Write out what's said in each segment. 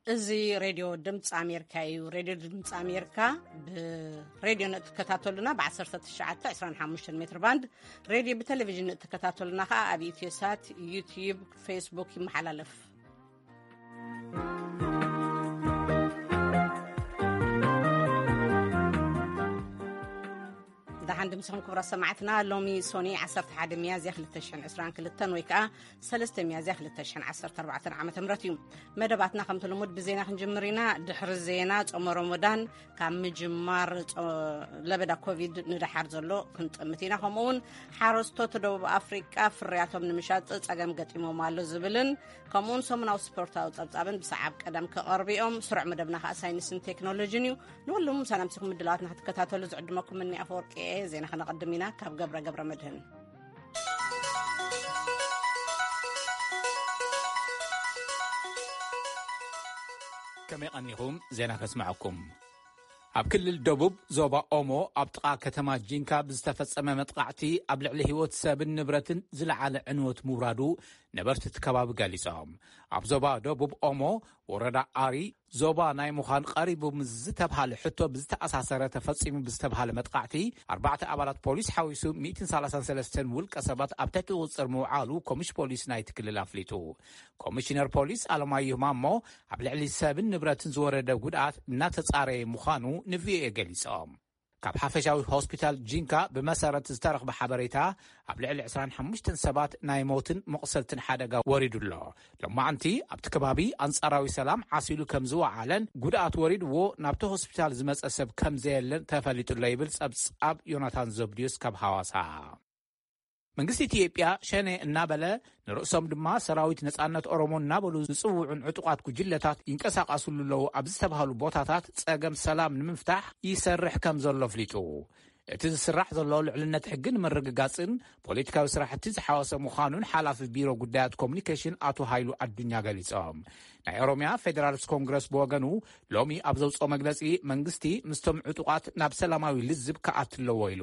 እዚ ሬድዮ ድምፂ ኣሜሪካ እዩ። ሬድዮ ድምፂ ኣሜሪካ ብሬድዮ ንእትከታተሉና ብ1925 ሜትር ባንድ፣ ሬድዮ ብቴሌቪዥን ንእትከታተሉና ከዓ ኣብ ኢትዮሳት፣ ዩቲዩብ፣ ፌስቡክ ይመሓላለፍ። ደሓን ድምስኹም ክቡራት ሰማዕትና። ሎሚ ሶኒ 11 ሚያዝያ 2022 ወይ ከዓ 3 ሚያዝያ 2014 ዓ.ም እዩ። መደባትና ከምቲ ልሙድ ብዜና ክንጅምር ኢና። ድሕሪ ዜና ጾመ ረመዳን ካብ ምጅማር ጾ-፣ ለበዳ ኮቪድ ንደሓር ዘሎ ክንጥምት ኢና። ከምኡ እውን ሓረስቶት ደቡብ ኣፍሪቃ ፍርያቶም ንምሻጥ ጸገም ገጢሞም ኣሎ ዝብልን ከምኡውን ሰሙናዊ ስፖርታዊ ጸብጻብን ብሰዓብ ቀደም ክቐርቡ እዮም። ስሩዕ መደብና ከዓ ሳይንስን ቴክኖሎጂን እዩ። ንወሎም ሰላም ሲኹም ምድላዋትና ክትከታተሉ ዝዕድመኩም እኒ ኣፈወርቂ እየ። ዜና ከነቐድም ኢና ካብ ገብረ ገብረ መድህን። ከመይ ቀኒኹም? ዜና ከስምዐኩም። ኣብ ክልል ደቡብ ዞባ ኦሞ ኣብ ጥቓ ከተማ ጂንካ ብዝተፈጸመ መጥቃዕቲ ኣብ ልዕሊ ህይወት ሰብን ንብረትን ዝለዓለ ዕንወት ምውራዱ ነበርቲ እቲ ከባቢ ገሊጾም። ኣብ ዞባ ደቡብ ኦሞ ወረዳ ኣሪ ዞባ ናይ ምዃን ቀሪቡ ምስ ዝተብሃለ ሕቶ ብዝተኣሳሰረ ተፈጺሙ ብዝተብሃለ መጥቃዕቲ ኣርባዕተ ኣባላት ፖሊስ ሓዊሱ 133 ውልቀ ሰባት ኣብ ትሕቲ ቁጽር ምውዓሉ ኮሚሽ ፖሊስ ናይቲ ክልል ኣፍሊጡ። ኮሚሽነር ፖሊስ ኣለማየሁ ማሞ ኣብ ልዕሊ ሰብን ንብረትን ዝወረደ ጉድኣት እናተጻረየ ምዃኑ ንቪኦኤ ገሊጾም። ካብ ሓፈሻዊ ሆስፒታል ጂንካ ብመሰረት ዝተረኽበ ሓበሬታ ኣብ ልዕሊ 25 ሰባት ናይ ሞትን መቑሰልትን ሓደጋ ወሪዱ ኣሎ። ሎማዕንቲ ኣብቲ ከባቢ ኣንጻራዊ ሰላም ዓሲሉ ከም ዝወዓለን ጉድኣት ወሪድዎ ናብቲ ሆስፒታል ዝመጸ ሰብ ከም ዘየለን ተፈሊጡ ኣሎ ይብል ጸብጻብ ዮናታን ዘብድዮስ ካብ ሃዋሳ። መንግስቲ ኢትዮጵያ ሸኔ እናበለ ንርእሶም ድማ ሰራዊት ነጻነት ኦሮሞ እናበሉ ዝጽውዑን ዕጡቓት ጉጅለታት ይንቀሳቐሱሉ ኣለዉ ኣብ ዝተባህሉ ቦታታት ጸገም ሰላም ንምፍታሕ ይሰርሕ ከም ዘሎ ኣፍሊጡ። እቲ ዝስራሕ ዘሎ ልዕልነት ሕጊ ንምርግጋጽን ፖለቲካዊ ስራሕቲ ዝሓወሰ ምዃኑን ሓላፊ ቢሮ ጉዳያት ኮሙኒኬሽን ኣቶ ሃይሉ ኣዱኛ ገሊጾም። ናይ ኦሮሚያ ፌዴራሊስት ኮንግረስ ብወገኑ ሎሚ ኣብ ዘውፅኦ መግለፂ፣ መንግስቲ ምስቶም ዕጡቓት ናብ ሰላማዊ ልዝብ ክኣቱ ኣለዎ ኢሉ።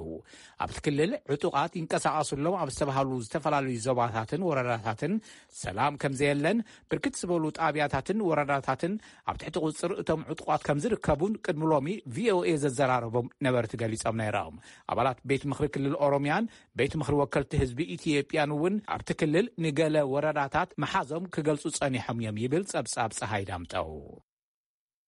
ኣብቲ ክልል ዕጡቓት ይንቀሳቐሱ ኣለዉ ኣብ ዝተባሃሉ ዝተፈላለዩ ዞባታትን ወረዳታትን ሰላም ከም ዘየለን፣ ብርክት ዝበሉ ጣብያታትን ወረዳታትን ኣብ ትሕቲ ቁፅር እቶም ዕጡቓት ከም ዝርከቡን ቅድሚ ሎሚ ቪኦኤ ዘዘራረቦም ነበርቲ ገሊጾም ነይሮም። ኣባላት ቤት ምኽሪ ክልል ኦሮሚያን ቤት ምኽሪ ወከልቲ ህዝቢ ኢትዮጵያን እውን ኣብቲ ክልል ንገለ ወረዳታት መሓዞም ክገልጹ ጸኒሖም እዮም ይብል ጸብጻብ ጸሃይ ዳምጠው።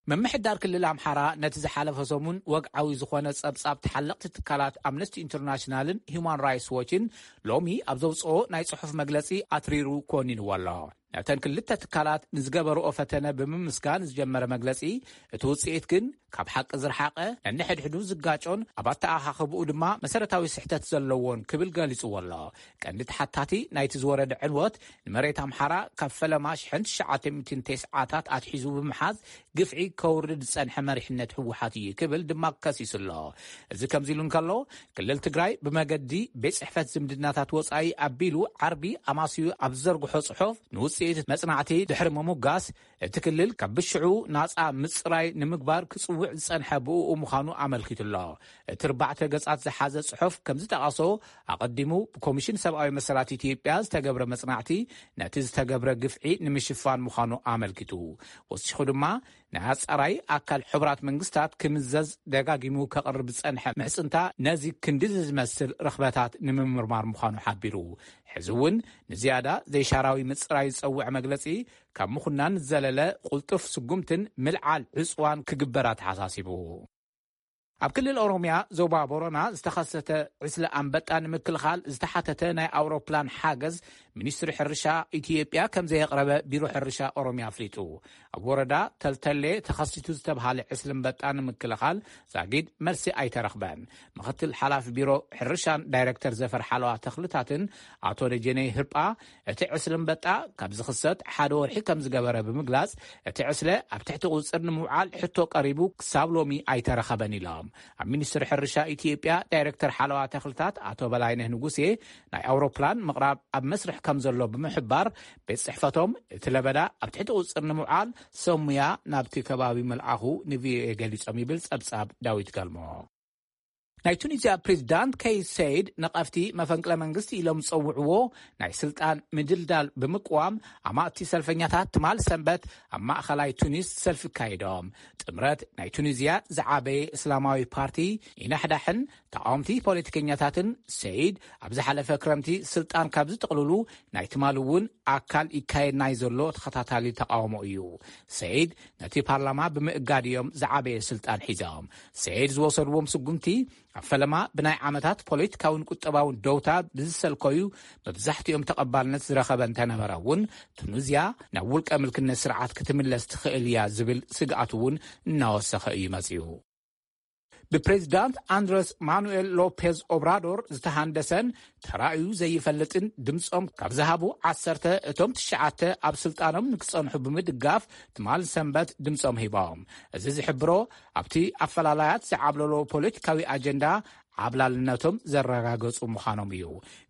ምምሕዳር ክልል ኣምሓራ ነቲ ዝሓለፈ ሰሙን ወግዓዊ ዝኾነ ጸብጻብ ተሓለቕቲ ትካላት ኣምነስቲ ኢንተርናሽናልን ሂውማን ራይትስ ዎችን ሎሚ ኣብ ዘውጽኦ ናይ ጽሑፍ መግለጺ ኣትሪሩ ኮኒንዎ ኣሎ። ነተን ክልተ ትካላት ንዝገበርኦ ፈተነ ብምምስጋን ዝጀመረ መግለጺ፣ እቲ ውጽኢት ግን ካብ ሓቂ ዝረሓቐ፣ ነንሕድሕዱ ዝጋጮን ኣብ ኣተኣኻኽብኡ ድማ መሰረታዊ ስሕተት ዘለዎን ክብል ገሊጽዎ ኣሎ። ቀንዲ ተሓታቲ ናይቲ ዝወረደ ዕንወት ንመሬት ኣምሓራ ካብ ፈለማ ሽሕን ትሽዓተ ሚእትን ተስዓታት ኣትሒዙ ብምሓዝ ግፍዒ ከውርድ ዝጸንሐ መሪሕነት ህወሓት እዩ ክብል ድማ ከሲሱ ኣሎ። እዚ ከምዚ ኢሉ እንከሎ፣ ክልል ትግራይ ብመገዲ ቤት ጽሕፈት ዝምድናታት ወጻኢ ኣቢሉ ዓርቢ ኣማስዩ ኣብ ዝዘርግሖ ጽሑፍ ንውጽኢት መጽናዕቲ ድሕሪ ምሙጋስ፣ እቲ ክልል ካብ ብሽዑ ናጻ ምጽራይ ንምግባር ክጽውዕ ዝጸንሐ ብእኡ ምዃኑ ኣመልኪቱ ኣሎ። እቲ ኣርባዕተ ገጻት ዝሓዘ ጽሑፍ ከም ዝጠቐሶ፣ ኣቐዲሙ ብኮሚሽን ሰብኣዊ መሰላት ኢትዮጵያ ዝተገብረ መጽናዕቲ ነቲ ዝተገብረ ግፍዒ ንምሽፋን ምዃኑ ኣመልኪቱ። ወሲኹ ድማ፣ ናይ ኣጻራይ ኣካል ሕቡራት መንግስታት ክምዘዝ ደጋጊሙ ከቕርብ ዝጸንሐ ምሕጽንታ ነዚ ክንዲ ዝመስል ረኽበታት ንምምርማር ምዃኑ ሓቢሩ። ሕዚ እውን ንዝያዳ ዘይሻራዊ ምጽራይ ዝጸውዕ መግለጺ ካብ ምኹናን ዝዘለለ ቅልጡፍ ስጉምትን ምልዓል ዕጽዋን ክግበር ኣተሓሳሲቡ። ኣብ ክልል ኦሮሚያ ዞባ ቦረና ዝተኸሰተ ዕስለ ኣንበጣ ንምክልኻል ዝተሓተተ ናይ ኣውሮፕላን ሓገዝ ሚኒስትሪ ሕርሻ ኢትዮጵያ ከም ዘየቕረበ ቢሮ ሕርሻ ኦሮሚያ ኣፍሊጡ። ኣብ ወረዳ ተልተሌ ተኸሲቱ ዝተብሃለ ዕስለ ኣንበጣ ንምክልኻል ዛጊድ መልሲ ኣይተረኽበን። ምኽትል ሓላፊ ቢሮ ሕርሻን ዳይሬክተር ዘፈር ሓለዋ ተኽልታትን ኣቶ ደጀኔ ህርጳ፣ እቲ ዕስለ ኣንበጣ ካብ ዝኽሰት ሓደ ወርሒ ከም ዝገበረ ብምግላጽ፣ እቲ ዕስለ ኣብ ትሕቲ ቁጽር ንምውዓል ሕቶ ቀሪቡ ክሳብ ሎሚ ኣይተረኸበን ኢሎም። ኣብ ሚኒስትሪ ሕርሻ ኢትዮጵያ ዳይሬክተር ሓለዋ ተኽልታት ኣቶ በላይነህ ንጉሴ፣ ናይ ኣውሮፕላን ምቕራብ ኣብ መስርሕ ከም ዘሎ ብምሕባር፣ ቤት ጽሕፈቶም እቲ ለበዳ ኣብ ትሕቲ ቁጽር ንምውዓል ሰብ ሙያ ናብቲ ከባቢ ምልኣኹ ንቪኦኤ ገሊጾም ይብል ጸብጻብ ዳዊት ገልሞ። ናይ ቱኒዝያ ፕሬዚዳንት ከይስ ሰይድ፣ ነቐፍቲ መፈንቅለ መንግስቲ ኢሎም ዝጸውዕዎ ናይ ስልጣን ምድልዳል ብምቅዋም፣ ኣማእቲ ሰልፈኛታት ትማል ሰንበት ኣብ ማእኸላይ ቱኒስ ሰልፊ ካይዶም። ጥምረት ናይ ቱኒዝያ ዝዓበየ እስላማዊ ፓርቲ ይናሕዳሕን ተቃወምቲ ፖለቲከኛታትን፣ ሰይድ ኣብ ዝሓለፈ ክረምቲ ስልጣን ካብ ዝጥቕልሉ ናይ ትማል እውን ኣካል ይካየድ ናይ ዘሎ ተኸታታሊ ተቃውሞ እዩ። ሰይድ ነቲ ፓርላማ ብምእጋድ እዮም ዝዓበየ ስልጣን ሒዞም። ሰይድ ዝወሰድዎም ስጉምቲ ኣብ ፈለማ ብናይ ዓመታት ፖለቲካውን ቁጠባውን ደውታ ብዝሰልከዩ፣ መብዛሕትኦም ተቐባልነት ዝረኸበ እንተነበረ እውን፣ ቱኒዝያ ናብ ውልቀ ምልክነት ስርዓት ክትምለስ ትኽእል እያ ዝብል ስግኣት እውን እናወሰኸ እዩ መጺኡ። ብፕሬዚዳንት ኣንድረስ ማኑኤል ሎፔዝ ኦብራዶር ዝተሃንደሰን ተራእዩ ዘይፈልጥን ድምጾም ካብ ዝሃቡ ዓሰርተ፣ እቶም ትሽዓተ ኣብ ስልጣኖም ንክጸንሑ ብምድጋፍ ትማል ሰንበት ድምጾም ሂቦም። እዚ ዝሕብሮ፣ ኣብቲ ኣፈላላያት ዝዓብለሎ ፖለቲካዊ ኣጀንዳ ዓብላልነቶም ዘረጋገጹ ምዃኖም እዩ።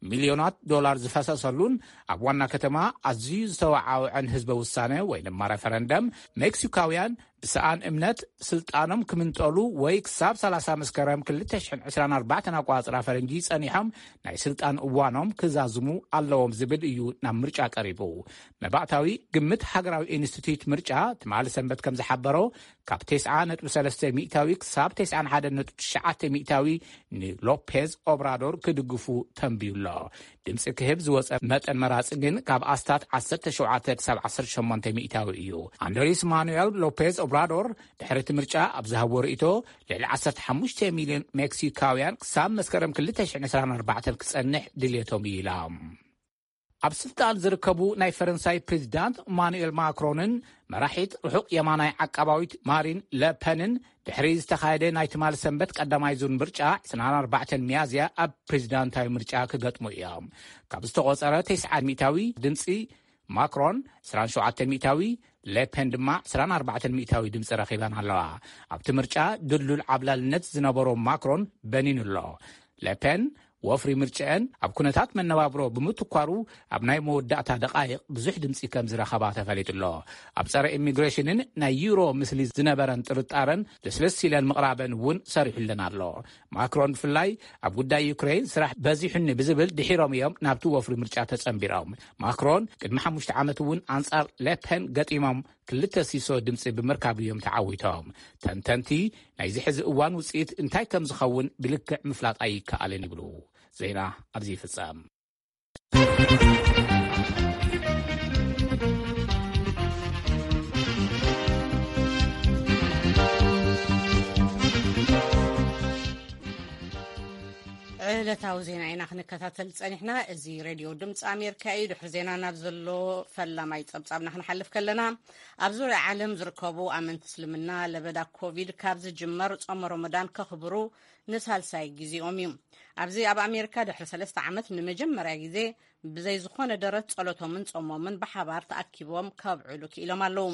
ሚልዮናት ዶላር ዝፈሰሰሉን ኣብ ዋና ከተማ ኣዝዩ ዝተወዓውዐን ህዝበ ውሳነ ወይ ድማ ረፈረንደም፣ ሜክሲካውያን ብሰኣን እምነት ስልጣኖም ክምንጠሉ ወይ ክሳብ ሰላሳ መስከረም ክልተ ሽሕን ዕስራን ኣርባዕተን ኣቋጽራ ፈረንጂ ጸኒሖም ናይ ስልጣን እዋኖም ክዛዝሙ ኣለዎም ዝብል እዩ ናብ ምርጫ ቀሪቡ። መባእታዊ ግምት ሃገራዊ ኢንስቲትዩት ምርጫ ትማሊ ሰንበት ከም ዝሓበሮ፣ ካብ ተስዓ ነጥቢ ሰለስተ ሚእታዊ ክሳብ ተስዓን ሓደን ነጥቢ ትሽዓተ ሚእታዊ ንሎፔዝ ኦብራዶር ክድግፉ ተንብዩ ኣሎ። ድምፂ ክህብ ዝወፀ መጠን መራፂ ግን ካብ ኣስታት ዓሰርተ ሸውዓተ ክሳብ ዓሰርተ ሸሞንተ ሚእታዊ እዩ። ኣንድሬስ ማኑኤል ሎፔዝ ኦብራዶር ድሕሪ እቲ ምርጫ ኣብ ዝሃቦ ርእይቶ፣ ልዕሊ ዓሰርተ ሓሙሽተ ሚልዮን ሜክሲካውያን ክሳብ መስከረም ክልተ ሽሕን ዕስራን ኣርባዕተን ክፀንሕ ድልየቶም እዩ ኢሎም። ኣብ ስልጣን ዝርከቡ ናይ ፈረንሳይ ፕሬዚዳንት ማኑኤል ማክሮንን መራሒት ርሑቕ የማናይ ዓቃባዊት ማሪን ለፐንን ድሕሪ ዝተኻየደ ናይ ትማል ሰንበት ቀዳማይ ዙር ምርጫ ዕስራን ኣርባዕተን ሚያዝያ ኣብ ፕሬዚዳንታዊ ምርጫ ክገጥሙ እዮም። ካብ ዝተቖጸረ ተስዓን ሚእታዊ ድምፂ ማክሮን ዕስራን ሸውዓተን ሚእታዊ፣ ሌፔን ድማ ዕስራን ኣርባዕተን ሚእታዊ ድምፂ ረኺበን ኣለዋ። ኣብቲ ምርጫ ድልዱል ዓብላልነት ዝነበሮ ማክሮን በኒኑ ኣሎ። ሌፔን ወፍሪ ምርጭአን ኣብ ኩነታት መነባብሮ ብምትኳሩ ኣብ ናይ መወዳእታ ደቓይቕ ብዙሕ ድምፂ ከም ዝረኸባ ተፈሊጡ ኣሎ። ኣብ ጸረ ኢሚግሬሽንን ናይ ዩሮ ምስሊ ዝነበረን ጥርጣረን ልስልስ ኢለን ምቕራበን እውን ሰሪሑለን ኣሎ። ማክሮን ብፍላይ ኣብ ጉዳይ ዩክሬን ስራሕ በዚሑኒ ብዝብል ድሒሮም እዮም ናብቲ ወፍሪ ምርጫ ተጸንቢሮም። ማክሮን ቅድሚ ሓሙሽተ ዓመት እውን ኣንጻር ሌፔን ገጢሞም ክልተ ሲሶ ድምፂ ብምርካብ እዮም ተዓዊቶም። ተንተንቲ ናይዚ ሕዚ እዋን ውፅኢት እንታይ ከም ዝኸውን ብልክዕ ምፍላጥ ኣይከኣልን ይብሉ። ዜና ኣብዚ ይፍጸም። ዕለታዊ ዜና ኢና ክንከታተል ጸኒሕና። እዚ ሬድዮ ድምፂ ኣሜሪካ እዩ። ድሕሪ ዜና ናብ ዘሎ ፈላማይ ጸብጻብና ክንሓልፍ ከለና፣ ኣብ ዙርያ ዓለም ዝርከቡ ኣመንቲ እስልምና ለበዳ ኮቪድ ካብ ዝጅመር ጾመ ሮመዳን ከኽብሩ ንሳልሳይ ግዜኦም እዩ። ኣብዚ ኣብ ኣሜሪካ ድሕሪ ሰለስተ ዓመት ንመጀመርያ ግዜ ብዘይ ዝኾነ ደረት ጸሎቶምን ጾሞምን ብሓባር ተኣኪቦም ከብዕሉ ክኢሎም ኣለዉ።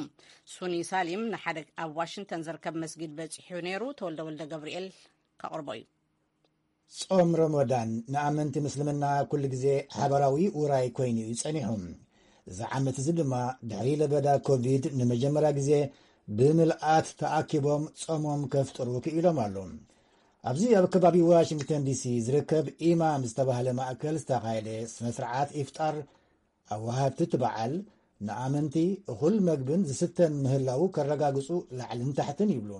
ሱኒ ሳሊም ንሓደ ኣብ ዋሽንግተን ዝርከብ መስጊድ በጺሑ ነይሩ። ተወልደ ወልደ ገብርኤል ከቕርቦ እዩ። ጾም ረመዳን ንኣመንቲ ምስልምና ኩሉ ግዜ ሓባራዊ ውራይ ኮይኑ እዩ ጸኒሑ። እዚ ዓመት እዚ ድማ ድሕሪ ለበዳ ኮቪድ ንመጀመርያ ግዜ ብምልኣት ተኣኪቦም ጾሞም ከፍጥሩ ክኢሎም ኣለዉ። ኣብዚ ኣብ ከባቢ ዋሽንግተን ዲሲ ዝርከብ ኢማም ዝተባህለ ማእከል ዝተኻየደ ስነ ስርዓት ኢፍጣር፣ ኣወሃድቲ እቲ በዓል ንኣመንቲ እኹል መግብን ዝስተን ምህላዉ ከረጋግጹ ላዕልን ታሕትን ይብሉ።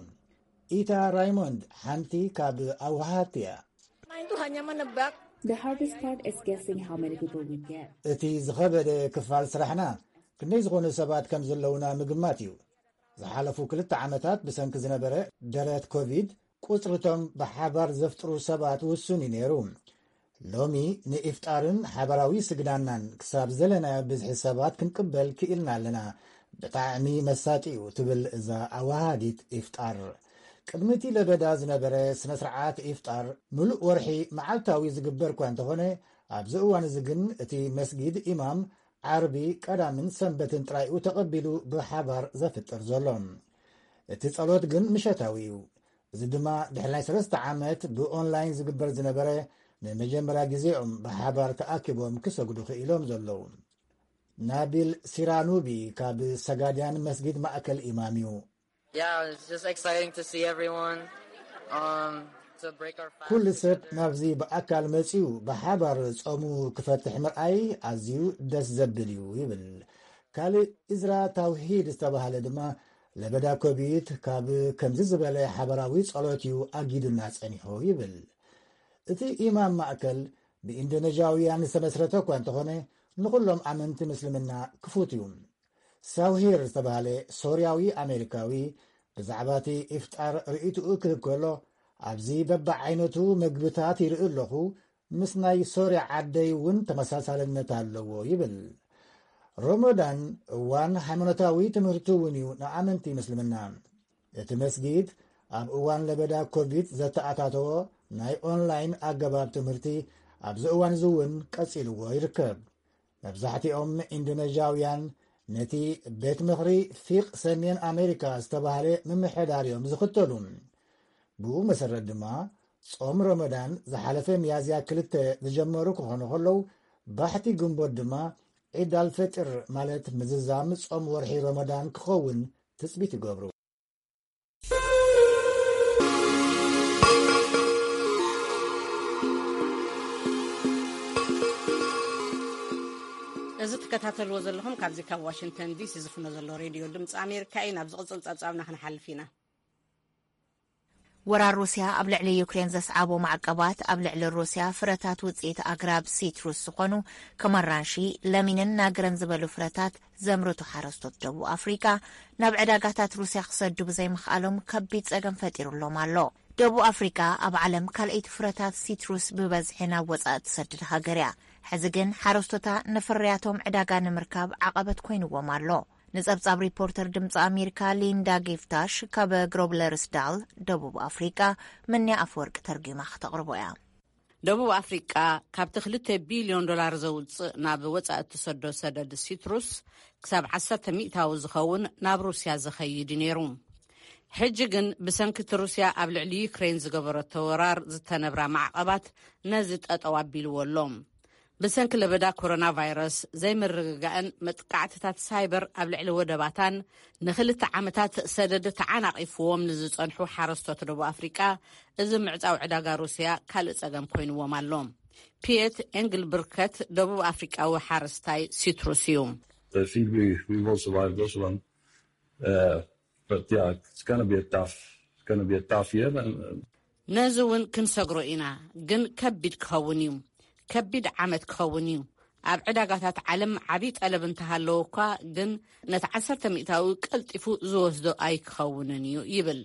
ኢታ ራይሞንድ ሓንቲ ካብ ኣወሃድቲ እያ። Nah, itu hanya menebak. The hardest part is guessing how many people we get. እቲ ዝኸበደ ክፋል ስራሕና ክንደይ ዝኾኑ ሰባት ከም ዘለዉና ምግማት እዩ። ዝሓለፉ ክልተ ዓመታት ብሰንኪ ዝነበረ ደረት ኮቪድ ቁጽርቶም ብሓባር ዘፍጥሩ ሰባት ውሱን እዩ ነይሩ። ሎሚ ንኢፍጣርን ሓባራዊ ስግዳናን ክሳብ ዘለናዮ ብዝሒ ሰባት ክንቅበል ክኢልና ኣለና። ብጣዕሚ መሳጢ እዩ ትብል እዛ ኣወሃዲት ኢፍጣር። ቅድሚ እቲ ለበዳ ዝነበረ ስነ ስርዓት ኢፍጣር ምሉእ ወርሒ መዓልታዊ ዝግበር እኳ እንተኾነ፣ ኣብዚ እዋን እዚ ግን እቲ መስጊድ ኢማም ዓርቢ፣ ቀዳምን ሰንበትን ጥራይ እዩ ተቐቢሉ ብሓባር ዘፍጥር ዘሎ። እቲ ጸሎት ግን ምሸታዊ እዩ። እዚ ድማ ድሕሪ ናይ ሰለስተ ዓመት ብኦንላይን ዝግበር ዝነበረ ንመጀመርያ ግዜኦም ብሓባር ተኣኪቦም ክሰግዱ ክኢሎም ዘለዉ። ናቢል ሲራኑቢ ካብ ሰጋድያን መስጊድ ማእከል ኢማም እዩ። Yeah, it's just exciting to see everyone. Um, ኩሉ ሰብ ናብዚ ብኣካል መጺኡ ብሓባር ጾሙ ክፈትሕ ምርኣይ ኣዝዩ ደስ ዘብል እዩ ይብል። ካልእ ኢዝራ ታውሂድ ዝተባህለ ድማ ለበዳ ኮቪድ ካብ ከምዚ ዝበለ ሓበራዊ ጸሎት እዩ ኣጊዱና ጸኒሑ ይብል። እቲ ኢማም ማእከል ብኢንዶነዥያውያን ዝተመስረተ እኳ እንተኾነ ንኹሎም ኣመንቲ ምስልምና ክፉት እዩ። ሳውሂር ዝተባህለ ሶርያዊ ኣሜሪካዊ ብዛዕባ እቲ ኢፍጣር ርእይትኡ ክህብ ከሎ ኣብዚ በብዓይነቱ መግብታት ይርኢ ኣለኹ፣ ምስ ናይ ሶርያ ዓደይ እውን ተመሳሳልነት ኣለዎ ይብል። ሮሞዳን እዋን ሃይማኖታዊ ትምህርቲ እውን እዩ ንኣመንቲ ምስልምና። እቲ መስጊድ ኣብ እዋን ለበዳ ኮቪድ ዘተኣታተዎ ናይ ኦንላይን ኣገባብ ትምህርቲ ኣብዚ እዋን እዚ እውን ቀጺልዎ ይርከብ። መብዛሕትኦም ኢንዶነዥያውያን ነቲ ቤት ምኽሪ ፊቕ ሰሜን ኣሜሪካ ዝተባህለ ምምሕዳር እዮም ዝኽተሉ። ብኡ መሰረት ድማ ጾም ረመዳን ዝሓለፈ ሚያዝያ ክልተ ዝጀመሩ ክኾኑ ከለዉ፣ ባሕቲ ግንቦት ድማ ዒድ ኣልፈጥር ማለት ምዝዛም ጾም ወርሒ ረመዳን ክኸውን ትጽቢት ይገብሩ። እዚ ትከታተልዎ ዘለኹም ካብዚ ካብ ዋሽንግተን ዲሲ ዝፍኖ ዘሎ ሬድዮ ድምፂ ኣሜሪካ እዩ። ናብ ዝቕፅል ፀብፃብና ክንሓልፍ ኢና። ወራር ሩስያ ኣብ ልዕሊ ዩክሬን ዘስዓቦ ማዕቀባት፣ ኣብ ልዕሊ ሩስያ ፍረታት ውፅኢት ኣግራብ ሲትሩስ ዝኾኑ ከም ኣራንሺ፣ ለሚንን ናግረን ዝበሉ ፍረታት ዘምርቱ ሓረስቶት ደቡብ ኣፍሪቃ ናብ ዕዳጋታት ሩስያ ክሰዱ ብዘይምኽኣሎም ከቢድ ጸገም ፈጢሩሎም ኣሎ። ደቡብ ኣፍሪቃ ኣብ ዓለም ካልኣይቲ ፍረታት ሲትሩስ ብበዝሒ ናብ ወጻኢ ትሰድድ ሃገር እያ። ሕዚ ግን ሓረስቶታ ንፍርያቶም ዕዳጋ ንምርካብ ዓቐበት ኮይንዎም ኣሎ። ንጸብጻብ ሪፖርተር ድምፂ ኣሜሪካ ሊንዳ ጌፍታሽ ካብ ግሮብለርስዳል ደቡብ ኣፍሪቃ ምንያ ኣፈወርቂ ተርጒማ ክተቕርቦ እያ። ደቡብ ኣፍሪቃ ካብቲ ክልተ ቢልዮን ዶላር ዘውፅእ ናብ ወፃኢ እትሰዶ ሰደድ ሲትሩስ ክሳብ ዓሰርተ ሚእታዊ ዝኸውን ናብ ሩስያ ዝኸይድ እዩ ነይሩ። ሕጂ ግን ብሰንኪ እቲ ሩስያ ኣብ ልዕሊ ዩክሬን ዝገበረቶ ወራር ዝተነብራ ማዕቐባት ነዚ ጠጠው ኣቢልዎ ኣሎ። ብሰንኪ ለበዳ ኮሮና ቫይረስ ዘይምርግጋእን መጥቃዕትታት ሳይበር ኣብ ልዕሊ ወደባታን ንክልተ ዓመታት ሰደድ ተዓናቒፍዎም ንዝጸንሑ ሓረስቶት ደቡብ ኣፍሪቃ እዚ ምዕጻው ዕዳጋ ሩስያ ካልእ ጸገም ኮይንዎም ኣሎ። ፒየት ኤንግልብርከት ደቡብ ኣፍሪቃዊ ሓረስታይ ሲትሩስ እዩ። I think we, we will survive this one. Uh, but yeah, it's going to be a tough, it's going to be a tough year. And, uh, ነዚ እውን ክንሰግሮ ኢና፣ ግን ከቢድ ክኸውን እዩ። ከቢድ ዓመት ክኸውን እዩ። ኣብ ዕዳጋታት ዓለም ዓብዪ ጠለብ እንተሃለወ እኳ ግን ነቲ ዓሰርተ ሚእታዊ ቀልጢፉ ዝወስዶ ኣይክኸውንን እዩ ይብል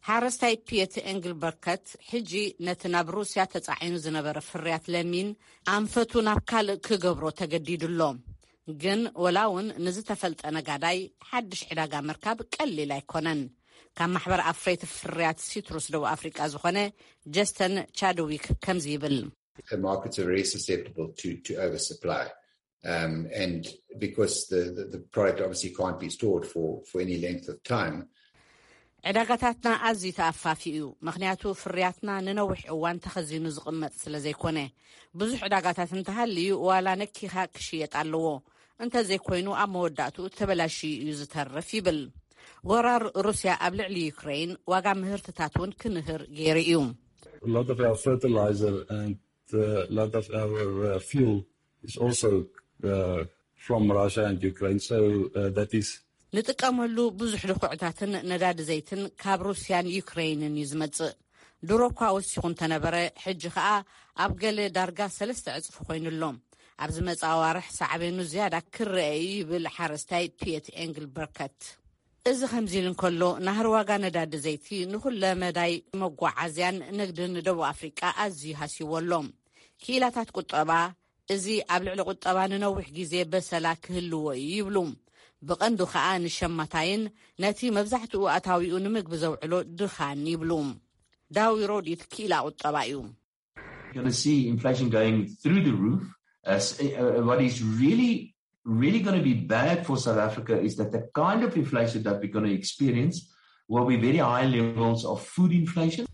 ሓረስታይ ፒየት ኤንግልበርከት። ሕጂ ነቲ ናብ ሩስያ ተጻዒኑ ዝነበረ ፍርያት ለሚን ኣንፈቱ ናብ ካልእ ክገብሮ ተገዲዱ ኣሎ። ግን ወላ እውን ንዝተፈልጠ ነጋዳይ ሓድሽ ዕዳጋ ምርካብ ቀሊል ኣይኮነን። ካብ ማሕበር ኣፍረይቲ ፍርያት ሲትሩስ ደቡብ ኣፍሪቃ ዝኾነ ጀስተን ቻድዊክ ከምዚ ይብል። The markets are very susceptible to, to oversupply. Um, and because the, the, the product obviously can't be stored for, for any length of time. ዕዳጋታትና ኣዝዩ ተኣፋፊ እዩ፣ ምኽንያቱ ፍርያትና ንነዊሕ እዋን ተኸዚኑ ዝቕመጥ ስለ ዘይኮነ። ብዙሕ ዕዳጋታት እንተሃልዩ ዋላ ነኪኻ ክሽየጥ ኣለዎ፣ እንተዘይኮይኑ ኣብ መወዳእትኡ ተበላሽዩ እዩ ዝተርፍ ይብል። ወራር ሩስያ ኣብ ልዕሊ ዩክሬን ዋጋ ምህርትታት እውን ክንህር ገይሩ እዩ። A lot of our fertilizer and uh, a lot of our uh, fuel is also uh, from Russia and Ukraine. So uh, that is ንጥቀመሉ ብዙሕ ድኹዕታትን ነዳዲ ዘይትን ካብ ሩስያን ዩክሬንን እዩ ዝመጽእ። ድሮ እኳ ወሲኹ እንተነበረ፣ ሕጂ ኸኣ ኣብ ገለ ዳርጋ ሰለስተ ዕጽፊ ኮይኑ ኣሎ። ኣብ ዝመጽእ ኣዋርሕ ሳዕቤኑ ዝያዳ ክረአ እዩ ይብል ሓረስታይ ፒየት ኤንግልበርከት። እዚ ከምዚ ኢሉ እንከሎ፣ ናህሪ ዋጋ ነዳዲ ዘይቲ ንኹለ መዳይ መጓዓዝያን ንግድን ደቡብ ኣፍሪቃ ኣዝዩ ሃስይዎ ኣሎ። ክኢላታት ቁጠባ፣ እዚ ኣብ ልዕሊ ቁጠባ ንነዊሕ ግዜ በሰላ ክህልዎ እዩ ይብሉ። ብቐንዱ ኸኣ ንሸማታይን ነቲ መብዛሕትኡ ኣታዊኡ ንምግቢ ዘውዕሎ ድኻን ይብሉ። ዳዊ ሮዲት ክኢላ ቁጠባ እዩ። You're going to see inflation going through the roof. Uh, s- uh, what is really, really going to be bad for South Africa is that the kind of inflation that we're going to experience will be very high levels of food inflation.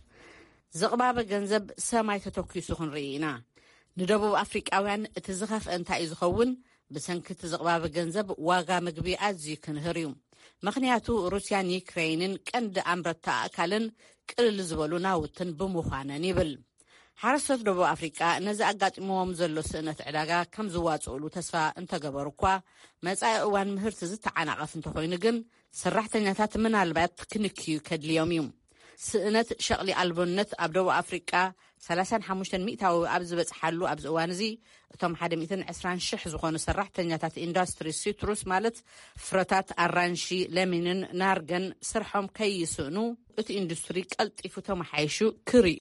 ዝቕባበ ገንዘብ ሰማይ ተተኪሱ ክንርኢ ኢና። ንደቡብ ኣፍሪቃውያን እቲ ዝኸፍአ እንታይ እዩ ዝኸውን? ብሰንኪ እቲ ዝቕባበ ገንዘብ ዋጋ ምግቢ ኣዝዩ ክንህር እዩ። ምኽንያቱ ሩስያን ዩክሬይንን ቀንዲ ኣምረትቲ ኣእካልን ቅልል ዝበሉ ናውትን ብምዃነን ይብል። ሓረስቶት ደቡብ ኣፍሪቃ ነዚ ኣጋጢምዎም ዘሎ ስእነት ዕዳጋ ከም ዝዋጽኡሉ ተስፋ እንተገበሩ እኳ፣ መጻኢ እዋን ምህርቲ ዝተዓናቐፍ እንተኾይኑ ግን፣ ሰራሕተኛታት ምናልባት ክንክዩ ከድልዮም እዩ። ስእነት ሸቕሊ ኣልቦነት ኣብ ደቡብ ኣፍሪቃ ሰላሳን ሓሙሽተን ሚእታዊ ኣብ ዝበጽሓሉ ኣብዚ እዋን እዚ፣ እቶም ሓደ ሚእትን ዕስራን ሽሕ ዝኾኑ ሰራሕተኛታት ኢንዱስትሪ ሲትሩስ፣ ማለት ፍረታት ኣራንሺ፣ ለሚንን ናርገን፣ ስርሖም ከይስእኑ እቲ ኢንዱስትሪ ቀልጢፉ ተመሓይሹ ክርኢ።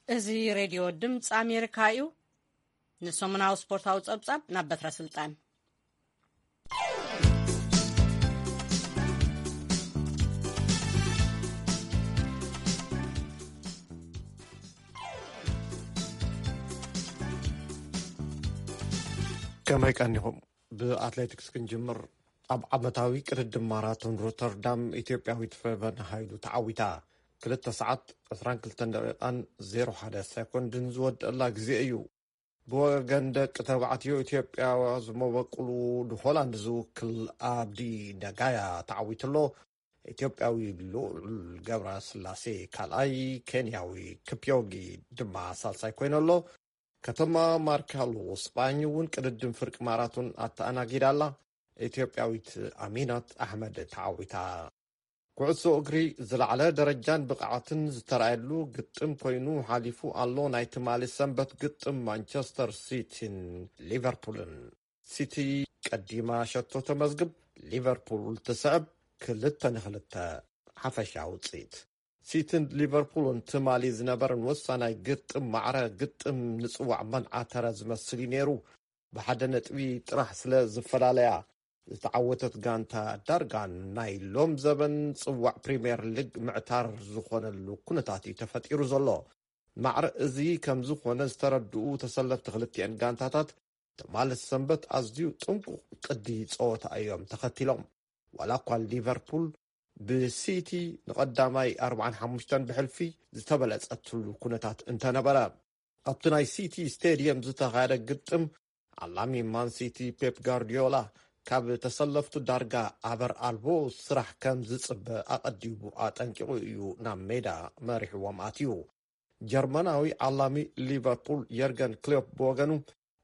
እዚ ሬድዮ ድምፂ ኣሜሪካ እዩ። ንሰሙናዊ ስፖርታዊ ጸብጻብ ናብ በትረ ስልጣን። ከመይ ቀኒኹም? ብኣትሌቲክስ ክንጅምር። ኣብ ዓመታዊ ቅድድም ማራቶን ሮተርዳም ኢትዮጵያዊት ፈቨን ሃይሉ ተዓዊታ። ክልተ ሰዓት ዕስራን ክልተን ደቂቓን ዜሮ ሓደ ሰኮንድን ዝወደአላ ግዜ እዩ። ብወገን ደቂ ተባዕትዮ ኢትዮጵያ ዝመበቁሉ ንሆላንድ ዝውክል ኣብዲ ነጋያ ተዓዊቱ ኣሎ። ኢትዮጵያዊ ልዑል ገብረ ስላሴ ካልኣይ፣ ኬንያዊ ክፕዮጊ ድማ ሳልሳይ ኮይኑ ኣሎ። ከተማ ማርካሎ ስጳኝ እውን ቅድድም ፍርቂ ማራቶን ኣተኣናጊዳ ኣላ። ኢትዮጵያዊት ኣሚናት ኣሕመድ ተዓዊታ። ኩዕሶ እግሪ ዝለዓለ ደረጃን ብቕዓትን ዝተራእየሉ ግጥም ኮይኑ ሓሊፉ ኣሎ። ናይ ትማሊ ሰንበት ግጥም ማንቸስተር ሲቲን ሊቨርፑልን። ሲቲ ቀዲማ ሸቶ ተመዝግብ፣ ሊቨርፑል ትስዕብ፣ ክልተ ንክልተ ሓፈሻ ውፅኢት። ሲቲን ሊቨርፑልን ትማሊ ዝነበረን ወሳናይ ግጥም ማዕረ ግጥም ንፅዋዕ መንዓተረ ዝመስል እዩ ነይሩ። ብሓደ ነጥቢ ጥራሕ ስለ ዝፈላለያ ዝተዓወተት ጋንታ ዳርጋ ናይ ሎም ዘበን ጽዋዕ ፕሪምየር ሊግ ምዕታር ዝኾነሉ ኩነታት እዩ ተፈጢሩ ዘሎ። ማዕረ እዚ ከም ዝኾነ ዝተረድኡ ተሰለፍቲ ክልቲአን ጋንታታት ትማሊ ሰንበት ኣዝዩ ጥንቁቕ ቅዲ ጸወታ እዮም ተኸቲሎም። ዋላ እኳ ሊቨርፑል ብሲቲ ንቐዳማይ ኣርባዓን ሓሙሽተን ብሕልፊ ዝተበለጸትሉ ኩነታት እንተነበረ፣ ኣብቲ ናይ ሲቲ ስቴድየም ዝተኻየደ ግጥም፣ ዓላሚ ማን ሲቲ ፔፕ ጋርዲዮላ ካብ ተሰለፍቱ ዳርጋ ኣበር ኣልቦ ስራሕ ከም ዝጽበ ኣቐዲሙ ኣጠንቂቑ እዩ ናብ ሜዳ መሪሕዎም ኣትዩ። ጀርመናዊ ዓላሚ ሊቨርፑል የርገን ክሎፕ ብወገኑ፣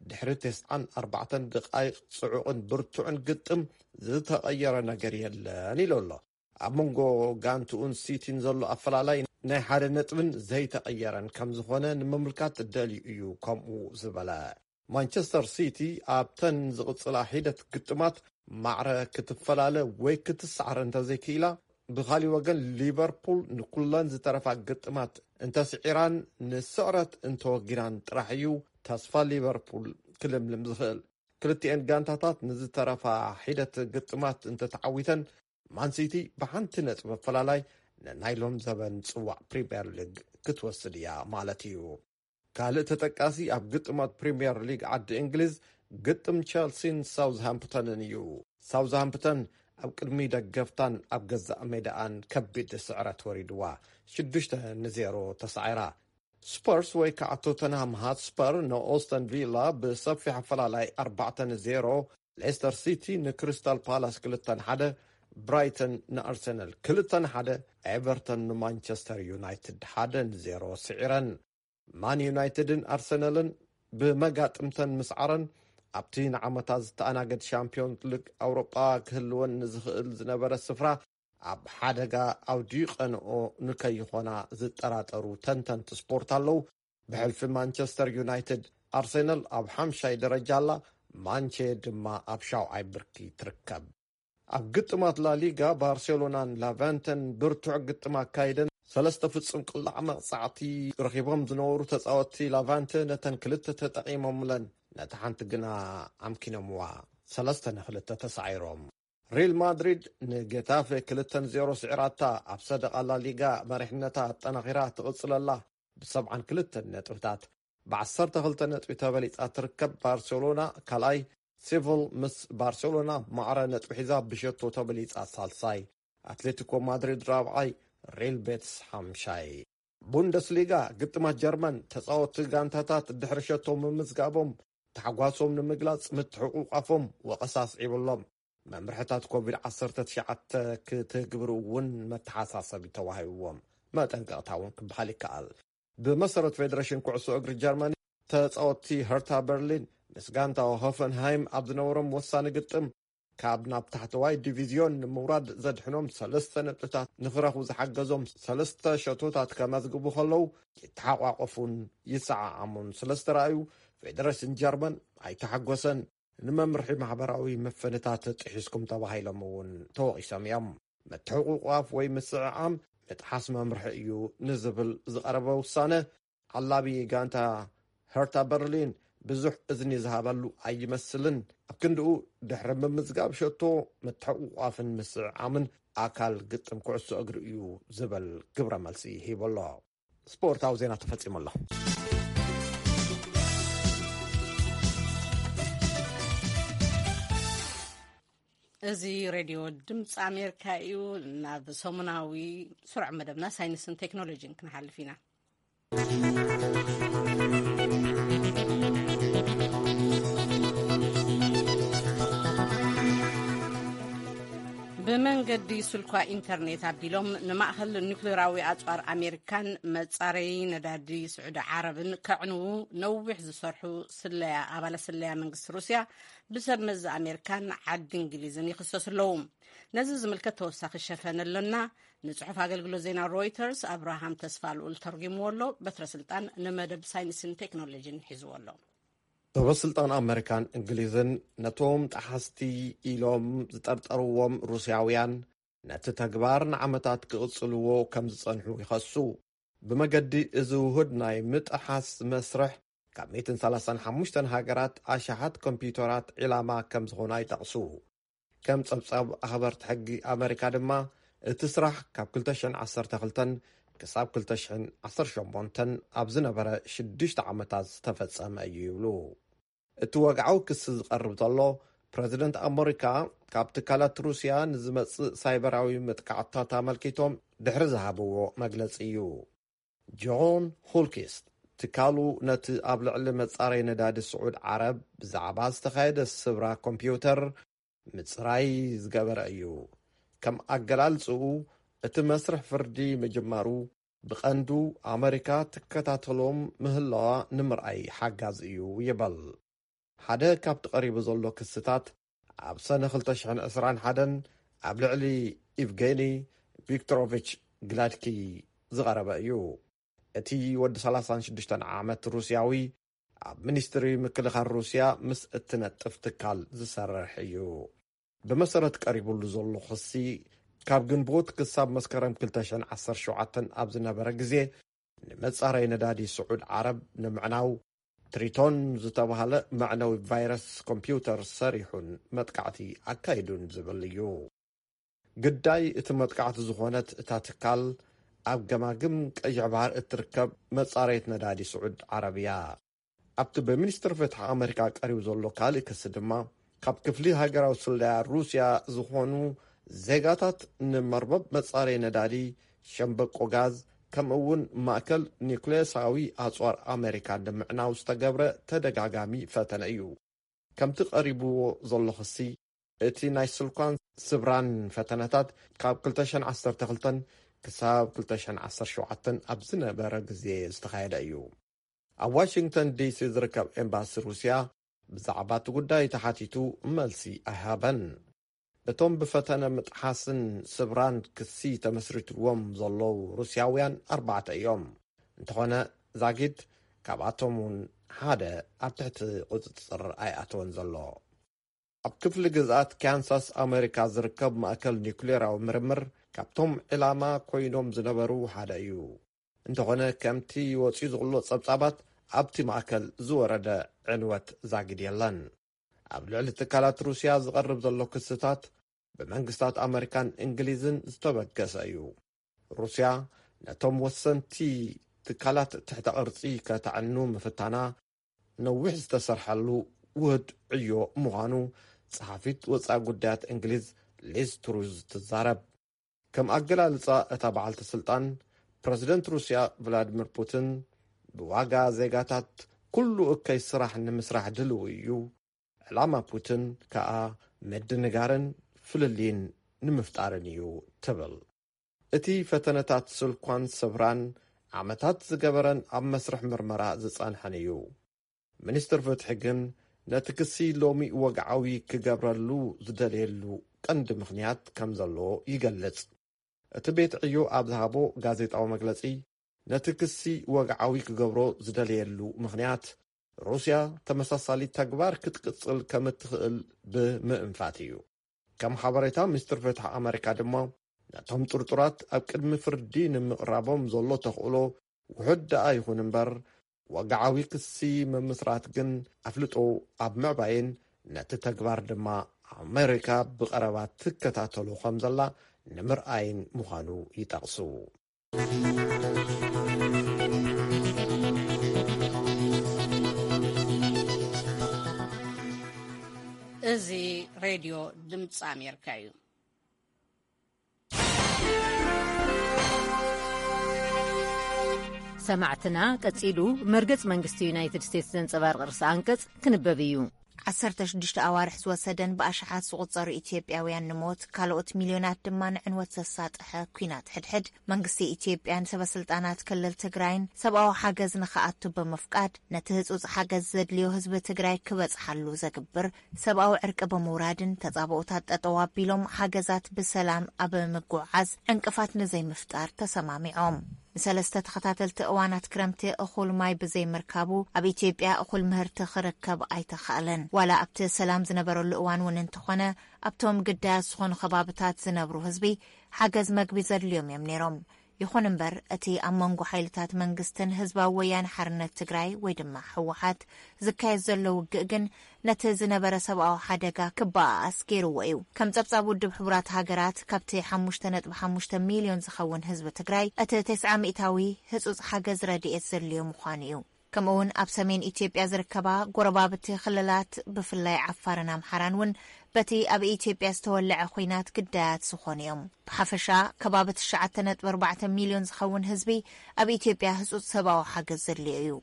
ድሕሪ ተስዓን ኣርባዕተን ደቓይቕ ጽዑቕን ብርቱዕን ግጥም፣ ዝተቐየረ ነገር የለን ኢሉ ኣሎ። ኣብ መንጎ ጋንትኡን ሲቲን ዘሎ ኣፈላላይ ናይ ሓደ ነጥብን ዘይተቐየረን ከም ዝኾነ ንምምልካት ደልዩ እዩ ከምኡ ዝበለ። ማንቸስተር ሲቲ ኣብተን ዝቕጽላ ሒደት ግጥማት ማዕረ ክትፈላለ ወይ ክትሰዓር እንተዘይክኢላ፣ ብኻሊእ ወገን ሊቨርፑል ንኩለን ዝተረፋ ግጥማት እንተስዒራን ንስዕረት እንተወጊናን ጥራሕ እዩ ተስፋ ሊቨርፑል ክልምልም ዝኽእል። ክልቲኤን ጋንታታት ንዝተረፋ ሒደት ግጥማት እንተተዓዊተን፣ ማንሲቲ ብሓንቲ ነጥቢ ኣፈላላይ ንናይ ሎም ዘበን ጽዋዕ ፕሪምየር ሊግ ክትወስድ እያ ማለት እዩ። ካልእ ተጠቃሲ ኣብ ግጥማት ፕሪምየር ሊግ ዓዲ እንግሊዝ ግጥም ቸልሲን ሳውዝሃምፕተንን እዩ። ሳውዝሃምፕተን ኣብ ቅድሚ ደገፍታን ኣብ ገዛእ ሜዳኣን ከቢድ ስዕረት ወሪድዋ፣ ሽዱሽተ ንዜሮ ተሳዒራ። ስፐርስ ወይ ከዓ ቶተንሃም ሃትስፐር ንኦስተን ቪላ ብሰፊሕ ኣፈላላይ ኣርባዕተ ንዜሮ፣ ሌስተር ሲቲ ንክሪስታል ፓላስ ክልተ ንሓደ፣ ብራይተን ንኣርሰናል ክልተ ንሓደ፣ ኤቨርተን ንማንቸስተር ዩናይትድ ሓደ ንዜሮ ስዒረን። ማን ዩናይትድን ኣርሰናልን ብመጋጥምተን ምስዓረን፣ ኣብቲ ንዓመታት ዝተኣናገድ ሻምፒዮንስ ሊግ ኣውሮጳ ክህልወን ንዝኽእል ዝነበረ ስፍራ ኣብ ሓደጋ ኣውዲቐንኦ ንከይኾና ዝጠራጠሩ ተንተንቲ ስፖርት ኣለዉ። ብሕልፊ ማንቸስተር ዩናይትድ፣ ኣርሰናል ኣብ ሓምሻይ ደረጃ ኣላ፣ ማንቼ ድማ ኣብ ሻውዓይ ብርኪ ትርከብ። ኣብ ግጥማት ላሊጋ፣ ባርሴሎናን ላቫንተን ብርቱዕ ግጥም ኣካይደን፣ ሰለስተ ፍጹም ቅላዕ መቕጻዕቲ ረኺቦም ዝነበሩ ተጻወትቲ ላቫንተ ነተን ክልተ ተጠቒሞምለን፣ ነታ ሓንቲ ግና ኣምኪኖምዋ፣ ሰለስተ ንክልተ ተሳዒሮም። ሪል ማድሪድ ንጌታፌ ክልተ ንዜሮ ስዒራታ፣ ኣብ ሰደቓ ላሊጋ መሪሕነታ ኣጠናኺራ ትቕጽለላ። ብሰብዓን ክልተን ነጥብታት ብዓሰርተ ክልተ ነጥቢ ተበሊጻ ትርከብ። ባርሴሎና ካልኣይ፣ ሴቪል ምስ ባርሴሎና ማዕረ ነጥቢ ሒዛ ብሸቶ ተበሊጻ ሳልሳይ፣ ኣትሌቲኮ ማድሪድ ራብዓይ፣ ሪል ቤትስ ሓምሻይ። ቡንደስሊጋ፣ ግጥማት ጀርመን፣ ተጻወትቲ ጋንታታት ድሕሪ ሸቶ ምምዝጋቦም ታሕጓሶም ንምግላጽ ምትሕቑቋፎም ወቐሳ ኣስዒቡሎም። መምርሕታት ኮቪድ ዓሰርተ ትሽዓተ ክትግብሩ እውን መተሓሳሰቢ ተዋሂብዎም፣ መጠንቀቕታ እውን ክበሃል ይከኣል። ብመሰረት ፌደሬሽን ኩዕሶ እግሪ ጀርመኒ፣ ተጻወትቲ ሀርታ በርሊን ምስ ጋንታ ሆፈንሃይም ኣብ ዝነበሮም ወሳኒ ግጥም፣ ካብ ናብ ታሕተዋይ ዲቪዝዮን ንምውራድ ዘድሕኖም ሰለስተ ነጥብታት ንኽረኽቡ ዝሓገዞም ሰለስተ ሸቶታት ከመዝግቡ ከለዉ፣ ይተሓቋቆፉን ይሰዓዓሙን ስለ ዝተረኣዩ፣ ፌደሬሽን ጀርመን ኣይተሓጎሰን። ንመምርሒ ማሕበራዊ መፈንታት ጥሒስኩም ተባሂሎም እውን ተወቒሶም እዮም። ምትሕቑቋፍ ወይ ምስዕዓም ምጥሓስ መምርሒ እዩ ንዝብል ዝቐረበ ውሳነ፣ ዓላቢ ጋንታ ሀርታ በርሊን ብዙሕ እዝኒ ዝሃበሉ ኣይመስልን። ኣብ ክንድኡ፣ ድሕሪ ምምዝጋብ ሸቶ፣ ምትሕቑቋፍን ምስዕዓምን ኣካል ግጥም ኩዕሶ እግሪ እዩ ዝብል ግብረ መልሲ ሂቡ ኣሎ። ስፖርታዊ ዜና ተፈጺሙ ኣሎ። እዚ ሬድዮ ድምፂ ኣሜሪካ እዩ። ናብ ሰሙናዊ ስሩዕ መደብና ሳይንስን ቴክኖሎጂን ክንሓልፍ ኢና። ብመንገዲ ስልኳ ኢንተርኔት ኣቢሎም ንማእኸል ኒኩሌራዊ ኣፅዋር ኣሜሪካን መፃረዪ ነዳዲ ስዑዲ ዓረብን ከዕንዉ ነዊሕ ዝሰርሑ ስለያ፣ ኣባላት ስለያ መንግስቲ ሩስያ ብሰብ መዚ ኣሜሪካን ዓዲ እንግሊዝን ይኽሰሱ ኣለዉ። ነዚ ዝምልከት ተወሳኺ ሸፈን ኣሎና። ንጽሑፍ ኣገልግሎት ዜና ሮይተርስ ኣብርሃም ተስፋ ልኡል ተርጒምዎ ኣሎ። በትረ ስልጣን ንመደብ ሳይንስን ቴክኖሎጂን ሒዝዎ ኣሎ። ሰበ ስልጣን ኣመሪካን እንግሊዝን ነቶም ጠሓስቲ ኢሎም ዝጠርጠርዎም ሩስያውያን ነቲ ተግባር ንዓመታት ክቕጽልዎ ከም ዝጸንሑ ይኸሱ። ብመገዲ እዚ ውሁድ ናይ ምጥሓስ መስርሕ፣ ካብ ሚእትን ሰላሳን ሓሙሽተን ሃገራት ኣሽሓት ኮምፒውተራት ዒላማ ከም ዝኾና ይጠቕሱ። ከም ጸብጻብ ኣኽበርቲ ሕጊ ኣመሪካ ድማ፣ እቲ ስራሕ ካብ ክልተ ሽሕን ዓሰርተ ክልተን ክሳብ ክልተ ሽሕን ዓሰርተ ሸሞንተን ኣብ ዝነበረ ሽዱሽተ ዓመታት ዝተፈጸመ እዩ ይብሉ። እቲ ወግዓዊ ክሲ ዝቐርብ ዘሎ፣ ፕረዚደንት ኣመሪካ ካብ ትካላት ሩስያ ንዝመጽእ ሳይበራዊ መጥቃዕትታት ኣመልኪቶም ድሕሪ ዝሃብዎ መግለጺ እዩ። ጆን ሆልኪስት፣ ትካሉ ነቲ ኣብ ልዕሊ መጻረይ ነዳዲ ስዑድ ዓረብ ብዛዕባ ዝተኻየደ ስብራ ኮምፒውተር ምጽራይ ዝገበረ እዩ። ከም ኣገላልጽኡ፣ እቲ መስርሕ ፍርዲ ምጅማሩ ብቐንዱ ኣመሪካ ትከታተሎም ምህላዋ ንምርኣይ ሓጋዚ እዩ ይበል። ሓደ ካብቲ ቀሪቡ ዘሎ ክስታት፣ ኣብ ሰነ ክልተ ሽሕን ዕስራን ሓደን ኣብ ልዕሊ ኢቭጌኒ ቪክቶሮቪች ግላድኪ ዝቐረበ እዩ። እቲ ወዲ ሰላሳን ሽዱሽተን ዓመት ሩስያዊ፣ ኣብ ሚኒስትሪ ምክልኻል ሩስያ ምስ እትነጥፍ ትካል ዝሰርሕ እዩ። ብመሰረት ቀሪቡሉ ዘሎ ክሲ፣ ካብ ግንቦት ክሳብ መስከረም ክልተ ሽሕን ዓሰርተ ሸውዓተን ኣብ ዝነበረ ግዜ፣ ንመጻረይ ነዳዲ ስዑድ ዓረብ ንምዕናው ትሪቶን ዝተባህለ መዕነዊ ቫይረስ ኮምፒውተር ሰሪሑን መጥቃዕቲ ኣካይዱን ዝብል እዩ። ግዳይ እቲ መጥቃዕቲ ዝኾነት እታ ትካል፣ ኣብ ገማግም ቀይሕ ባሕር እትርከብ መጻረይት ነዳዲ ስዑድ ዓረብ እያ። ኣብቲ ብሚኒስትሪ ፍትሒ ኣመሪካ ቀሪቡ ዘሎ ካልእ ክሲ ድማ፣ ካብ ክፍሊ ሃገራዊ ስለያ ሩስያ ዝኾኑ ዜጋታት ንመርበብ መጻረይ ነዳዲ፣ ሸምበቆ ጋዝ፣ ከምኡ እውን ማእከል ኒውክሌሳዊ ኣጽዋር ኣመሪካ ንምዕናው ዝተገብረ ተደጋጋሚ ፈተነ እዩ። ከምቲ ቀሪብዎ ዘሎ ክሲ፣ እቲ ናይ ስልኳን ስብራን ፈተነታት ካብ ክልተ ሽሕን ዓሰርተ ክልተን ክሳብ ክልተ ሽሕን ዓሰርተ ሸውዓተን ኣብ ዝነበረ ግዜ ዝተኻየደ እዩ። ኣብ ዋሽንግተን ዲሲ ዝርከብ ኤምባሲ ሩስያ ብዛዕባ እቲ ጉዳይ ተሓቲቱ መልሲ ኣይሃበን። እቶም ብፈተነ ምጥሓስን ስብራን ክሲ ተመስሪትዎም ዘለዉ ሩስያውያን ኣርባዕተ እዮም። እንተኾነ፣ ዛጊድ ካብኣቶም እውን ሓደ ኣብ ትሕቲ ቁጽጽር ኣይኣተወን ዘሎ። ኣብ ክፍሊ ግዝኣት ካንሳስ ኣመሪካ ዝርከብ ማእከል ኒውክሌራዊ ምርምር ካብቶም ዕላማ ኮይኖም ዝነበሩ ሓደ እዩ። እንተኾነ፣ ከምቲ ወጺኡ ዘሎ ጸብጻባት፣ ኣብቲ ማእከል ዝወረደ ዕንወት ዛጊድ የለን። ኣብ ልዕሊ ትካላት ሩስያ ዝቐርብ ዘሎ ክስታት ብመንግስታት ኣመሪካን እንግሊዝን ዝተበገሰ እዩ። ሩስያ ነቶም ወሰንቲ ትካላት ትሕተ ቅርጺ ከተዕኑ ምፍታና ነዊሕ ዝተሰርሐሉ ውህድ ዕዮ ምዃኑ ጸሓፊት ወጻኢ ጉዳያት እንግሊዝ ሊዝ ትሩዝ ትዛረብ። ከም ኣገላልጻ እታ በዓልቲ ስልጣን፣ ፕረዚደንት ሩስያ ቭላድሚር ፑቲን ብዋጋ ዜጋታት ኩሉ እከይ ስራሕ ንምስራሕ ድልው እዩ። ዕላማ ፑቲን ከኣ ምድንጋርን ፍልልይን ንምፍጣርን እዩ ትብል። እቲ ፈተነታት ስልኳን ሰብራን ዓመታት ዝገበረን ኣብ መስርሕ ምርመራ ዝጸንሐን እዩ። ሚኒስትር ፍትሒ ግን ነቲ ክሲ ሎሚ ወግዓዊ ክገብረሉ ዝደልየሉ ቀንዲ ምኽንያት ከም ዘለዎ ይገልጽ። እቲ ቤት ዕዮ ኣብ ዝሃቦ ጋዜጣዊ መግለጺ፣ ነቲ ክሲ ወግዓዊ ክገብሮ ዝደልየሉ ምኽንያት ሩስያ ተመሳሳሊ ተግባር ክትቅጽል ከም እትኽእል ብምእንፋት እዩ። ከም ሓበሬታ ሚኒስትር ፍትሒ ኣመሪካ ድማ፣ ነቶም ጥርጡራት ኣብ ቅድሚ ፍርዲ ንምቕራቦም ዘሎ ተኽእሎ ውሑድ ደኣ ይኹን እምበር፣ ወግዓዊ ክሲ ምምስራት ግን ኣፍልጦ ኣብ ምዕባይን ነቲ ተግባር ድማ ኣመሪካ ብቐረባ ትከታተሎ ከም ዘላ ንምርኣይን ምዃኑ ይጠቕሱ። እዚ ሬድዮ ድምፂ ኣሜሪካ እዩ። ሰማዕትና፣ ቀጺሉ መርገጽ መንግስቲ ዩናይትድ ስቴትስ ዘንጸባርቕ ርእሰ ኣንቀጽ ክንበብ እዩ። ዓሰርተ ሽዱሽተ ኣዋርሕ ዝወሰደን ብኣሽሓት ዝቑጸሩ ኢትዮጵያውያን ንሞት፣ ካልኦት ሚልዮናት ድማ ንዕንወት ዘሳጥሐ ኲናት ሕድሕድ፣ መንግስቲ ኢትዮጵያን ሰበ ስልጣናት ክልል ትግራይን ሰብኣዊ ሓገዝ ንኽኣቱ ብምፍቃድ፣ ነቲ ህጹጽ ሓገዝ ዘድልዮ ህዝቢ ትግራይ ክበጽሓሉ ዘግብር ሰብኣዊ ዕርቂ ብምውራድን ተጻብኦታት ጠጠው ኣቢሎም ሓገዛት ብሰላም ኣብ ምጉዕዓዝ ዕንቅፋት ንዘይምፍጣር ተሰማሚዖም። ንሰለስተ ተኸታተልቲ እዋናት ክረምቲ እኹል ማይ ብዘይምርካቡ፣ ኣብ ኢትዮጵያ እኹል ምህርቲ ክርከብ ኣይተኻእለን። ዋላ ኣብቲ ሰላም ዝነበረሉ እዋን እውን እንተኾነ፣ ኣብቶም ግዳያት ዝኾኑ ከባብታት ዝነብሩ ህዝቢ ሓገዝ መግቢ ዘድልዮም እዮም ነይሮም። ይኹን እምበር፣ እቲ ኣብ መንጎ ሓይልታት መንግስትን ህዝባዊ ወያነ ሓርነት ትግራይ ወይ ድማ ህወሓት ዝካየድ ዘሎ ውግእ ግን ነቲ ዝነበረ ሰብኣዊ ሓደጋ ክበኣኣስ ገይርዎ እዩ። ከም ጸብጻብ ውድብ ሕቡራት ሃገራት፣ ካብቲ ሓሙሽተ ነጥቢ ሓሙሽተ ሚልዮን ዝኸውን ህዝቢ ትግራይ፣ እቲ ተስዓ ሚእታዊ ህጹጽ ሓገዝ ረድኤት ዘድልዮ ምዃኑ እዩ። ከምኡውን ኣብ ሰሜን ኢትዮጵያ ዝርከባ ጎረባብቲ ክልላት፣ ብፍላይ ዓፋርን ኣምሓራን እውን በቲ ኣብ ኢትዮጵያ ዝተወለዐ ኲናት ግዳያት ዝኾኑ እዮም። ብሓፈሻ ከባቢ ትሽዓተ ነጥቢ ኣርባዕተ ሚልዮን ዝኸውን ህዝቢ ኣብ ኢትዮጵያ ህጹጽ ሰብኣዊ ሓገዝ ዘድልዮ እዩ።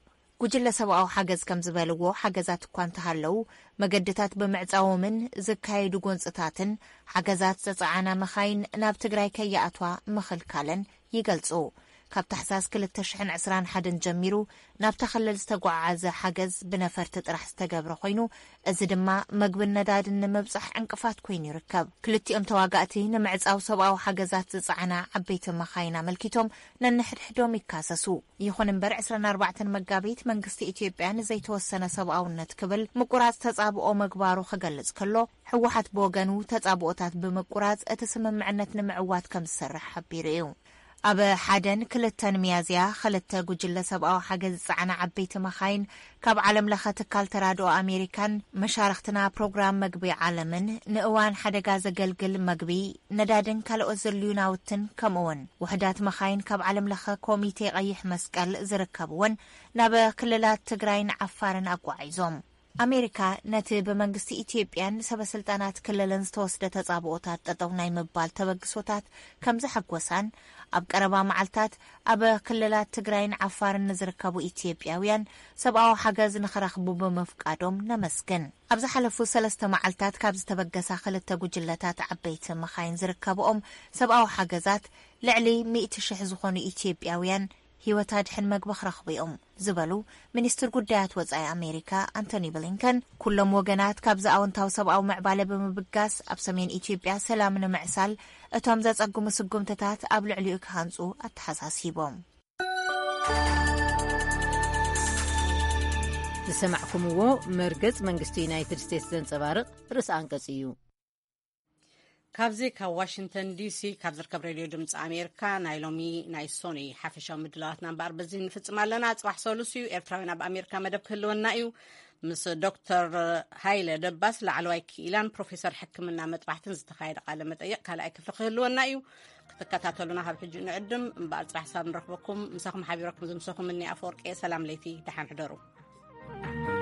ጉጅለ ሰብኣዊ ሓገዝ ከም ዝበልዎ፣ ሓገዛት እኳ እንተሃለዉ፣ መገድታት ብምዕጻዎምን ዝካየዱ ጎንጽታትን ሓገዛት ዘጸዓና መኻይን ናብ ትግራይ ከይኣትዋ ምኽልካለን ይገልጹ። ካብ ታሕሳስ ክልተ ሽሕን ዕስራን ሓደን ጀሚሩ ናብታ ክልል ዝተጓዓዓዘ ሓገዝ ብነፈርቲ ጥራሕ ዝተገብረ ኮይኑ፣ እዚ ድማ መግብን ነዳድን ንምብጻሕ ዕንቅፋት ኮይኑ ይርከብ። ክልቲኦም ተዋጋእቲ ንምዕጻው ሰብኣዊ ሓገዛት ዝጸዓና ዓበይቲ መኻይን ኣመልኪቶም ነንሕድሕዶም ይካሰሱ። ይኹን እምበር፣ ዕስራን ኣርባዕተን መጋቢት መንግስቲ ኢትዮጵያ ንዘይተወሰነ ሰብኣውነት ክብል ምቁራጽ ተጻብኦ ምግባሩ ክገልጽ ከሎ፣ ህወሓት ብወገኑ ተጻብኦታት ብምቁራጽ እቲ ስምምዕነት ንምዕዋት ከም ዝሰርሕ ሓቢሩ እዩ። ኣብ ሓደን ክልተን ሚያዝያ፣ ክልተ ጉጅለ ሰብኣዊ ሓገዝ ዝጸዓና ዓበይቲ መኻይን ካብ ዓለም ለኸ ትካል ተራድኦ ኣሜሪካን መሻርኽትና ፕሮግራም መግቢ ዓለምን ንእዋን ሓደጋ ዘገልግል መግቢ፣ ነዳድን ካልኦት ዘድልዩ ናውትን፣ ከምኡውን ውሕዳት መኻይን ካብ ዓለም ለኸ ኮሚቴ ቀይሕ መስቀል ዝርከብወን ናብ ክልላት ትግራይን ዓፋርን ኣጓዒዞም። ኣሜሪካ ነቲ ብመንግስቲ ኢትዮጵያን ሰበ ስልጣናት ክልልን ዝተወስደ ተጻብኦታት ጠጠው ናይ ምባል ተበግሶታት ከም ዘሐጎሳን፣ ኣብ ቀረባ መዓልታት ኣብ ክልላት ትግራይን ዓፋርን ንዝርከቡ ኢትዮጵያውያን ሰብኣዊ ሓገዝ ንኽረኽቡ ብምፍቃዶም ነመስግን። ኣብ ዝሓለፉ ሰለስተ መዓልታት ካብ ዝተበገሳ ክልተ ጉጅለታት ዓበይቲ መኻይን ዝርከብኦም ሰብኣዊ ሓገዛት፣ ልዕሊ ሚእቲ ሽሕ ዝኾኑ ኢትዮጵያውያን ህይወት ኣድሕን መግቢ ክረኽቡ እዮም ዝበሉ ሚኒስትር ጉዳያት ወጻኢ ኣሜሪካ ኣንቶኒ ብሊንከን፣ ኩሎም ወገናት ካብዚ ኣወንታዊ ሰብኣዊ ምዕባለ ብምብጋስ፣ ኣብ ሰሜን ኢትዮጵያ ሰላም ንምዕሳል እቶም ዘጸግሙ ስጉምትታት ኣብ ልዕሊኡ ክሃንጹ ኣተሓሳሲቦም። ዝሰማዕኩምዎ መርገጽ መንግስቲ ዩናይትድ ስቴትስ ዘንጸባርቕ ርእሰ ኣንቀጽ እዩ። ካብዚ ካብ ዋሽንግተን ዲሲ ካብ ዝርከብ ሬድዮ ድምፂ ኣሜሪካ ናይ ሎሚ ናይ ሶኒ ሓፈሻዊ ምድላዋትና እምበኣር በዚ ንፍፅም ኣለና። ፅባሕ ሰሉስ እዩ። ኤርትራውያን ኣብ ኣሜሪካ መደብ ክህልወና እዩ። ምስ ዶክተር ሃይለ ደባስ ላዕለዋይ ክኢላን ፕሮፌሰር ሕክምና መጥባሕትን ዝተኻየደ ቃለ መጠይቕ ካልኣይ ክፍሊ ክህልወና እዩ። ክትከታተሉና ካብ ሕጂ ንዕድም እምበኣር ፅባሕ ሳብ ንረኽበኩም። ምሳኹም ሓቢረኩም ዝምሰኹም እኒ ኣፈወርቂ። ሰላም ለይቲ፣ ደሓን ሕደሩ።